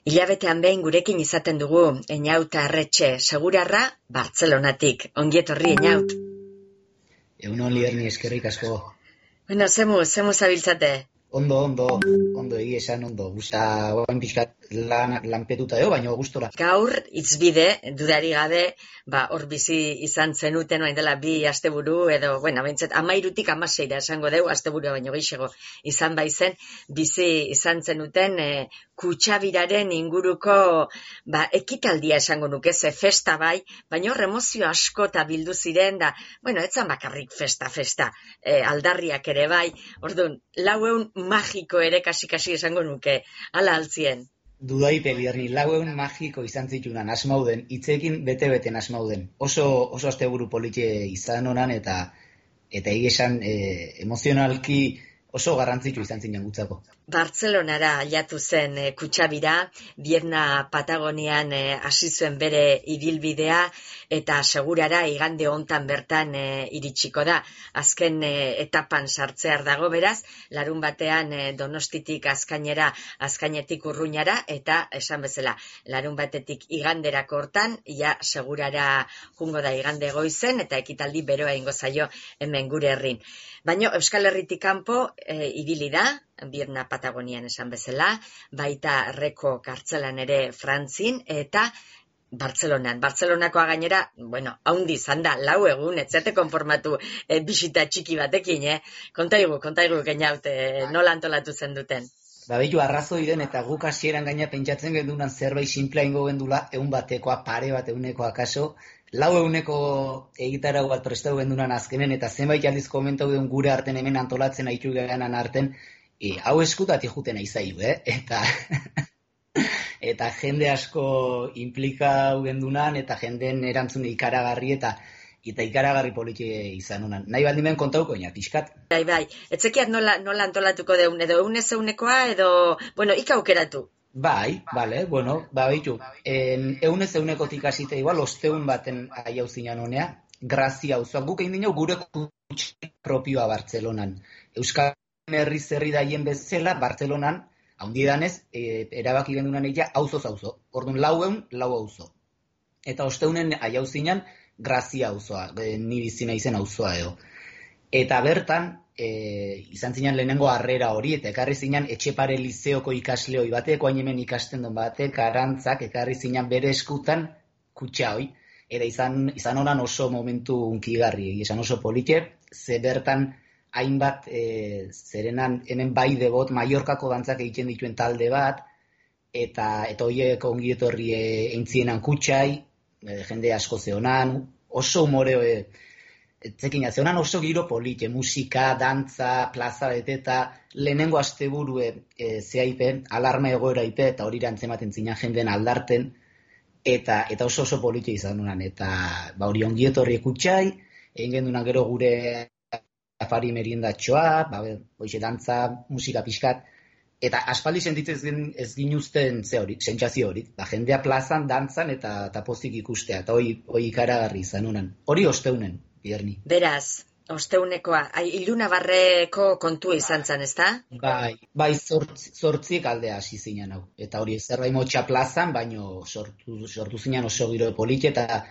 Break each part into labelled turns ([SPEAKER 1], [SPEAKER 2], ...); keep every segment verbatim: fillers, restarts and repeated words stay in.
[SPEAKER 1] Hilabetean behin gurekin izaten dugu Eñaut Arretxe, segurarra Bartzelonatik. Ongi etorri, Eñaut.
[SPEAKER 2] Egunon Liderni, eskerrik asko.
[SPEAKER 1] Bueno, zemu, zemu zabiltzate?
[SPEAKER 2] Ondo, ondo, ondo egia esan ondo. Gusta, oain pixkat lan, lanpetuta eo, baina gustora.
[SPEAKER 1] Gaur, itzbide, dudari gabe, ba, hor bizi izan zenuten, oain dela bi asteburu, edo, bueno, bentsat, amairutik amaseira esango deu, asteburua baino gehiago izan baizen, bizi izan zenuten, e, kutxabiraren inguruko, ba, ekitaldia esango nuke, ze festa bai, baina hor emozio asko eta bildu ziren, da, bueno, etzan bakarrik festa, festa, e, aldarriak ere bai, orduan, laueun magiko ere kasi-kasi esango nuke, ala altzien.
[SPEAKER 2] Dudaite, Liderni, lauen magiko izan zitunan asmauden, hitzekin bete-beten asmauden. Oso, oso asteburu politie izan honan eta eta egesan e, emozionalki oso garrantzitsu izan zinen gutzako.
[SPEAKER 1] Bartzelonara aiatu zen e, kutxabira, Bierna Patagonian e, hasi zuen bere ibilbidea eta segurara igande hontan bertan e, iritsiko da. Azken e, etapan sartzear dago beraz, larun batean e, Donostitik Azkainera, Azkainetik Urruñara eta esan bezala, larun batetik iganderako hortan, ja segurara jungo da igande goizen eta ekitaldi beroa ingo zaio hemen gure herrin. Baina Euskal Herritik kanpo e, ibili da, Bierna Patagonian esan bezala, baita Reko kartzelan ere Frantzin, eta Bartzelonan. Bartzelonakoa gainera, bueno, haundi izan da, lau egun, etzete konformatu e, bisita txiki batekin, eh? Kontaigu, kontaigu Eñaut, e, nola antolatu zen duten.
[SPEAKER 2] Ba, behitu arrazoi den eta guk hasieran gaina pentsatzen gendunan zerbait simplea ingo gendula, egun batekoa, pare bat eunekoa kaso, lau eguneko egitarau bat prestatu gendunan azkenen, eta zenbait aldiz komentau den gure arten hemen antolatzen aitu gehanan arten, e, hau eskutatik juten aizaiu, eh? Eta, eta jende asko implikau gendunan, eta jenden erantzune ikaragarri, eta eta ikaragarri politie izan honan. Nahi baldimen kontauko, ina, pixkat.
[SPEAKER 1] Bai, bai, etzekiat nola, nola antolatuko deun, edo eunez eunekoa, edo, bueno, ika aukeratu.
[SPEAKER 2] Bai, bale, bueno, ba, behitu, eunez eunekotik hasite igual, osteun baten aiau zinan honea, Grazia auzoa, guk egin dinau gure kutxe propioa Bartzelonan. Euskal Herri zerri daien bezala, Bartzelonan, haundi danez, e, erabaki gendunan egia, auzoz auzo. Orduan, lau eun, lau auzo. Eta osteunen aiau zinan, Grazia auzoa, e, ni bizina izen auzoa edo. Eta bertan, e, izan zinan lehenengo harrera hori, eta ekarri zinan Etxepare Lizeoko ikasleoi batek, oain hemen ikasten duen batek, arantzak, ekarri zinan bere eskutan kutxa hoi. Eta izan, izan honan oso momentu unkigarri, izan oso polite, ze bertan hainbat, e, zerenan hemen bai debot, Mallorkako dantzak egiten dituen talde bat, eta eta horiek ongietorri e, eintzienan kutxai, e, jende asko zehonan, oso humore, e, zekin zehonan oso giro polite, musika, dantza, plaza bete, eta lehenengo asteburue e, zehaipe, alarma egoera ipe, eta hori antzematen zinan jenden aldarten, eta eta oso oso polite izan dunan, eta ba hori ongietorri kutxai, egin gendunan gero gure afari meriendatxoa, ba, hoize dantza, musika pixkat, eta aspaldi sentitzen ez ginuzten ze hori, sentsazio hori, ba, jendea plazan, dantzan eta, eta pozik ikustea, eta hori, hori ikaragarri izan dunan. Hori osteunen, Bierni.
[SPEAKER 1] Beraz, osteunekoa, Ilunabarreko kontua izan zen, ezta?
[SPEAKER 2] Bai, bai zortzi, zortziek aldea hasi zinen hau. Eta hori zerbait motxa plazan, baino sortu, sortu zinen oso giro polite, eta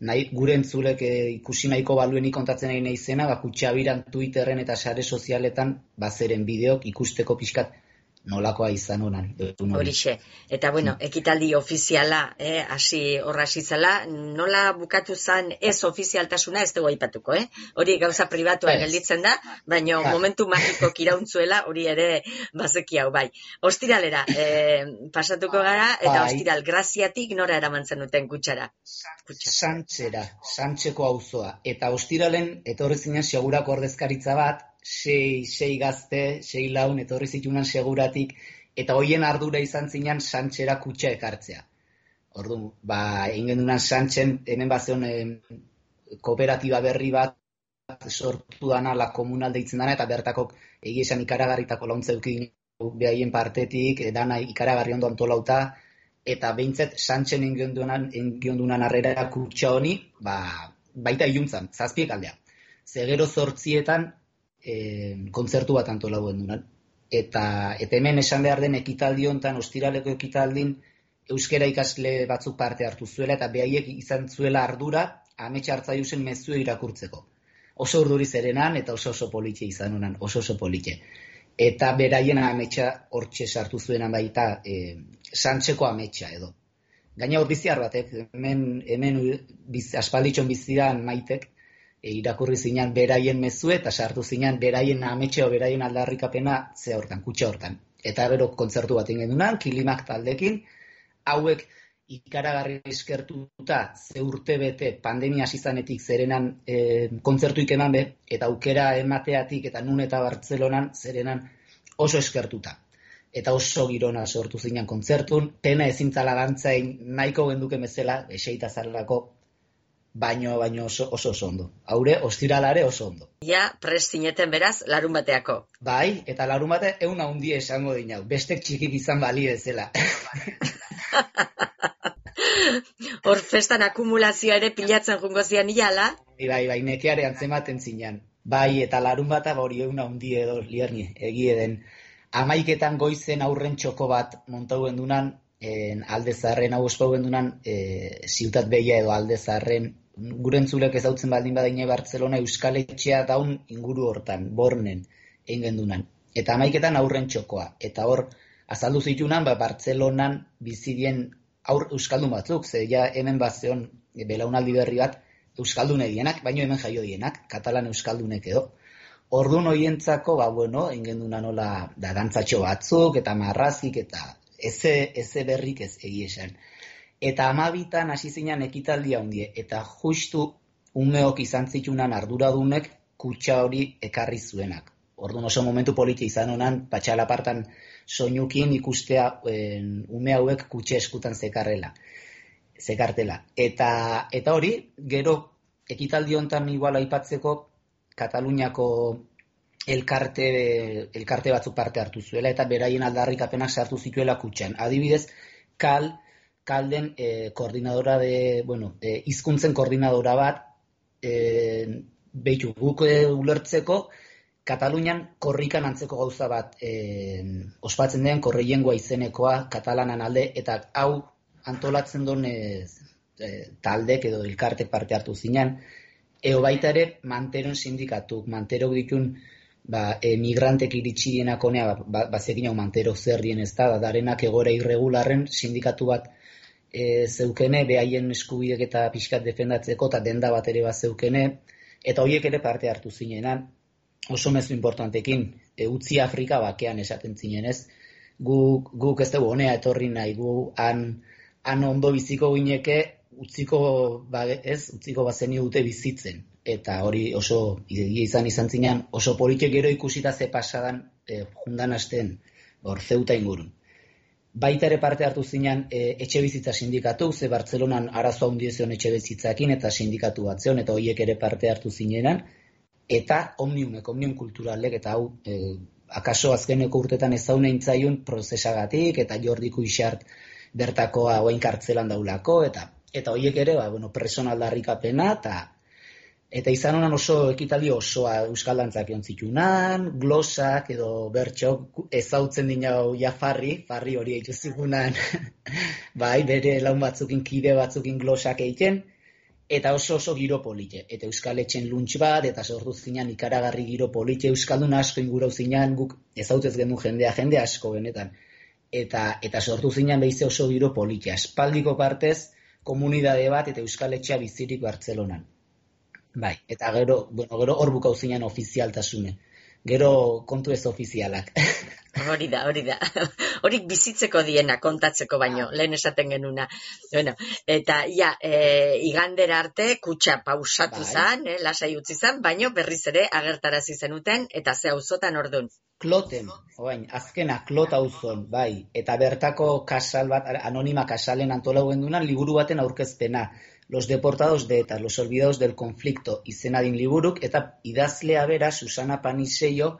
[SPEAKER 2] nahi, gure entzulek e, ikusi nahiko baluenik kontatzen nahi naizena, ba, kutxabiran, Twitterren eta sare sozialetan, bazeren bideok ikusteko pixkat nolakoa izan honan.
[SPEAKER 1] Horixe. Eta bueno, ekitaldi ofiziala, eh, hasi horra hasi zela, nola bukatu zen ez ofizialtasuna ez dugu aipatuko, eh? Hori gauza pribatuan gelditzen da, baina momentu magiko kirauntzuela hori ere bazeki hau, bai. Ostiralera, eh, pasatuko gara, eta
[SPEAKER 2] bai.
[SPEAKER 1] Ostiral Graziatik nora eramantzen duten kutxara? Kutxa.
[SPEAKER 2] Santzera, Santzeko auzoa. Eta ostiralen etorri zinen segurako ordezkaritza bat, sei, sei gazte, sei laun, etorri zitunan seguratik, eta hoien ardura izan zinan Santzera kutxa ekartzea. Orduan, ba, egin gendunan Santzen, hemen bazeon eh, kooperatiba berri bat sortu dana, la komunal deitzen dana, eta bertakok egia esan ikaragarritako launtza eukin behaien partetik, dana ikaragarri ondo antolauta, eta behintzet Santzen engiondunan arrera kutxa honi, ba, baita iluntzan, zazpiek aldea. Zegero zortzietan, E, kontzertu bat antolau gendunan. Eta, eta hemen esan behar den ekitaldi hontan, ostiraleko ekitaldin, euskera ikasle batzuk parte hartu zuela, eta behaiek izan zuela ardura amets hartzaiusen mezue irakurtzeko. Oso urduri zerenan, eta oso oso politxe izan honan, oso oso politxe. Eta beraien ametsa hortxe sartu zuenan baita, e, santxeko ametsa edo. Gaina hor biziar batek, hemen, hemen biz, aspalditxon bizidan Maitek, e, irakurri zinan beraien mezue, eta sartu zinan beraien ametxeo, beraien aldarrikapena ze hortan, kutxa hortan. Eta gero kontzertu bat ingen dunan, Kilimak taldekin, hauek ikaragarri eskertuta ze urte bete pandemia hasi zanetik zerenan e, kontzertuik eman be, eta aukera emateatik eta nun eta Bartzelonan zerenan oso eskertuta. Eta oso girona sortu zinan kontzertun, pena ezintzala dantzain nahiko genduke bezala, eseita zarelako, baino, baino oso, oso oso ondo. Haure, ostiralare oso ondo.
[SPEAKER 1] Ja, prest zineten beraz, larun bateako.
[SPEAKER 2] Bai, eta larun bate eun handi esango dinau, bestek txikik izan bali bezala.
[SPEAKER 1] Hor festan akumulazioa ere pilatzen jungo zian iala?
[SPEAKER 2] Bai, bai, bai, nekeare antzematen zinan. Bai, eta larun bata hori eun handi edo lierni, egie den. Amaiketan goizen aurren txoko bat montau gendunan, en, alde zaharren, hau ospau gendunan, e, ziutat behia edo alde zaharren, gurentzulek ezautzen baldin badaine Bartzelona Euskal Etxea daun inguru hortan, Bornen, egin gendunan. Eta amaiketan aurren txokoa. Eta hor, azaldu zitunan, ba, Bartzelonan bizidien aur euskaldun batzuk, ze ja hemen bazeon belaunaldi berri bat euskaldun edienak, baino hemen jaio dienak, katalan euskaldunek edo. Ordun hoientzako, ba bueno, ingenduna nola da dantzatxo batzuk eta marrazik eta eze eze berrik ez egie esan. Eta hamabitan hasi zinan ekitaldia hundie eta justu umeok izan zitunan arduradunek kutxa hori ekarri zuenak. Ordun oso momentu polita izan honan, patxalapartan soinukin ikustea en, ume hauek kutxe eskutan zekarrela, zekartela. Eta, eta hori, gero ekitaldi hontan igual aipatzeko Kataluniako elkarte, elkarte batzuk parte hartu zuela eta beraien aldarrikapenak sartu zituela kutxan. Adibidez, kal, kalden eh, koordinadora de, bueno, eh, hizkuntzen koordinadora bat, eh, behitu, guk eh, ulertzeko, Katalunian korrikan antzeko gauza bat eh, ospatzen den korreiengoa izenekoa katalanan alde, eta hau antolatzen duen eh, eh, taldek edo elkarte parte hartu zinan, eo baita ere manteron sindikatuk, manterok ditun ba, emigrantek iritsi dienak honea, ba, bazekin hau mantero zer dien ez da, darenak egora irregularren sindikatu bat e, zeukene, behaien eskubidek eta pixkat defendatzeko, eta denda bat ere bat zeukene, eta horiek ere parte hartu zinenan, oso mezu importantekin, e, utzi Afrika bakean esaten zinen ez, guk, guk ez dugu honea etorri nahi, gu han, han ondo biziko gineke, utziko, ba, ez, utziko bazeni dute bizitzen. Eta hori oso, egia izan izan zinean, oso politik gero ikusita ze pasadan e, jundan hasten, hor zeuta ingurun. Baita ere parte hartu zinean e, etxe bizitza sindikatu, ze Bartzelonan arazo handi zion etxe bizitzakin eta sindikatu bat zion, eta horiek ere parte hartu zinenan, eta omniumek, omnium kulturalek, eta hau, e, akaso azkeneko urtetan ezaunein zaiun prozesagatik, eta Jordi Kuixart bertakoa oain kartzelan daulako, eta eta horiek ere, ba, bueno, preson aldarrikapena, eta eta izan honan oso ekitaldi osoa euskal dantzak egon zitunan, glosak edo bertxok ezautzen dinau ja farri, farri hori eitu zigunan, bai, bere laun batzukin, kide batzukin glosak egiten, eta oso oso giro polite. Eta euskal etxen luntx bat, eta sortu zinan ikaragarri giro polite, euskaldun asko ingurau zinan, guk ezautzez gendu jendea, jende asko benetan. Eta, eta sortu zinan behize oso giro polite. Aspaldiko partez, komunidade bat eta euskal etxea bizirik Bartzelonan. Bai, eta gero, bueno, gero hor bukau zinan ofizialtasune. Gero kontu ez ofizialak.
[SPEAKER 1] Hori da, hori da. Horik bizitzeko diena kontatzeko baino, lehen esaten genuna. Bueno, eta ja, e, igandera arte kutxa pausatu
[SPEAKER 2] Bai.
[SPEAKER 1] zan, eh, lasai utzi zan, baino berriz ere agertarazi zenuten, eta ze auzotan ordun.
[SPEAKER 2] Kloten, oain, azkena klot auzon, bai, eta bertako kasal bat, anonima kasalen antolau gendunan, liburu baten aurkezpena, Los deportados de ETA, los olvidados del conflicto, izenadin liburuk, eta idazlea bera, Susana Panisello,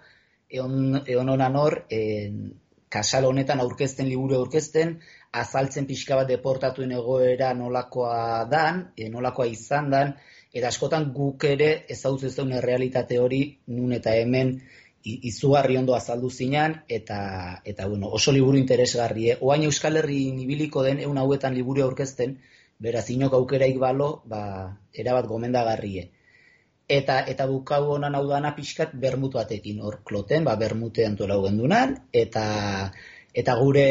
[SPEAKER 2] eon, eon honan hor, en, kasal honetan aurkezten, liburu aurkezten, azaltzen pixka bat deportatuen egoera nolakoa dan, e, nolakoa izan dan, eta askotan guk ere ezautzen zuen errealitate hori, nun eta hemen, izugarri ondo azaldu zinan, eta, eta bueno, oso liburu interesgarri. Eh? Oain Euskal Herrian ibiliko den, egun hauetan liburu aurkezten, beraz, inok aukeraik balo, ba, erabat gomendagarrie. Eta, eta bukau honan hau dana pixkat bermut batekin, hor kloten, ba, bermute antolau gendunan, eta, eta gure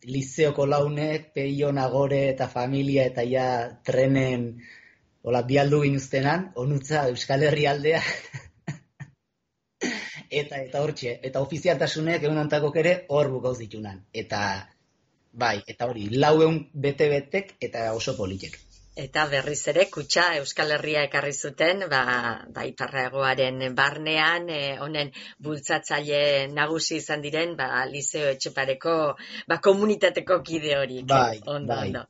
[SPEAKER 2] lizeoko launek, peio nagore eta familia, eta ja trenen, hola, bialdu ginuztenan, onutza Euskal Herri aldea, eta, eta hortxe, eta ofizialtasunek egun ontakok ere hor bukauz ditunan. Eta, bai, eta hori, laueun bete-betek eta oso politek.
[SPEAKER 1] Eta berriz ere, kutxa Euskal Herria ekarri zuten, ba, ba iparragoaren barnean, e, honen bultzatzaile nagusi izan diren, ba, Liceo Etxepareko, ba, komunitateko kide horik.
[SPEAKER 2] Bai,
[SPEAKER 1] ondo,
[SPEAKER 2] bai.
[SPEAKER 1] Ondo.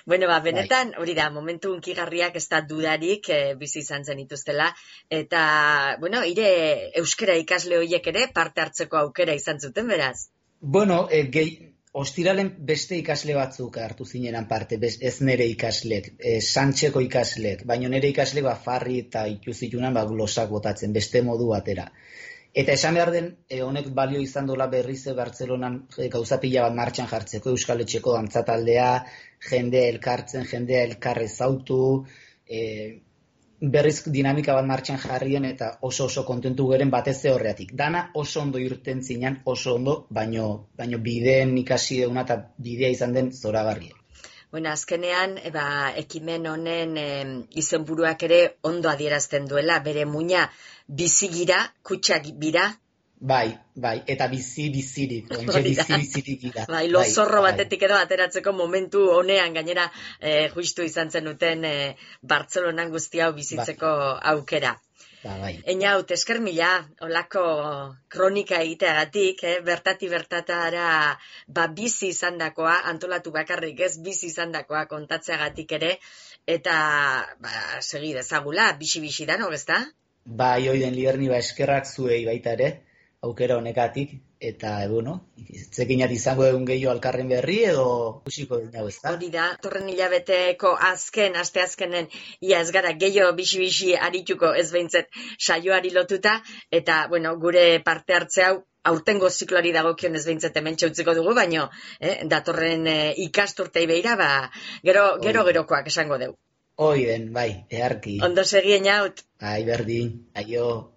[SPEAKER 1] Bueno, ba, benetan, hori da, momentu unkigarriak ez da dudarik, e, bizi izan zen ituztela, eta, bueno, ire euskara ikasle horiek ere parte hartzeko aukera izan zuten, beraz?
[SPEAKER 2] Bueno, e, gehi... Ostiralen beste ikasle batzuk hartu zinenan parte, ez nere ikaslek, e, Santxeko ikaslek, baina nere ikaslek ba, farri eta ikuzitunan ba, glosak botatzen, beste modu batera. Eta esan behar den, e, honek balio izan dola berriz Bartzelonan e, gauza pila bat martxan jartzeko, Euskal Etxeko dantzataldea, jendea elkartzen, jendea elkarrez autu, e, berriz dinamika bat martxan jarrien eta oso oso kontentu geren batez horreatik. Dana oso ondo irten zinan, oso ondo, baino, baino bideen ikasi deuna eta bidea izan den zoragarria.
[SPEAKER 1] Bueno, azkenean, eba, ekimen honen e, izenburuak ere ondo adierazten duela, bere muina bizigira, kutsak bira.
[SPEAKER 2] Bai, bai, eta bizi-bizirik, ontxe bizi-bizirik gira.
[SPEAKER 1] Bai, lozorro bai, batetik edo ateratzeko momentu honean, gainera, eh, justu izan zenuten eh, Bartzelonan guzti hau bizitzeko bai. Aukera.
[SPEAKER 2] Ba, bai.
[SPEAKER 1] Einaut, esker mila, olako kronika egiteagatik, eh, bertati bertatara ba, bizi izandakoa, antolatu bakarrik ez, bizi izandakoa kontatzeagatik ere, eta ba, segi dezagula, bixi-bixi da, no, ezta?
[SPEAKER 2] Bai, oiden Liberni, ba, eskerrak zuei baita ere, aukera honekatik, eta, bueno, zekinat izango egun gehiago alkarren berri, edo usiko dinago ez da?
[SPEAKER 1] Hori da, torren hilabeteko azken, aste azkenen, ia ez gara gehiago bixi-bixi arituko ez behintzet saioari lotuta, eta, bueno, gure parte hartze hau, aurtengo zikloari dagokion ez behintzet hemen txautziko dugu, baino, eh, datorren eh, ikasturtei behira, ba, gero, gero gerokoak esango dugu.
[SPEAKER 2] Oiden, bai, eharki.
[SPEAKER 1] Ondo segien haut.
[SPEAKER 2] Bai, berdin, aio.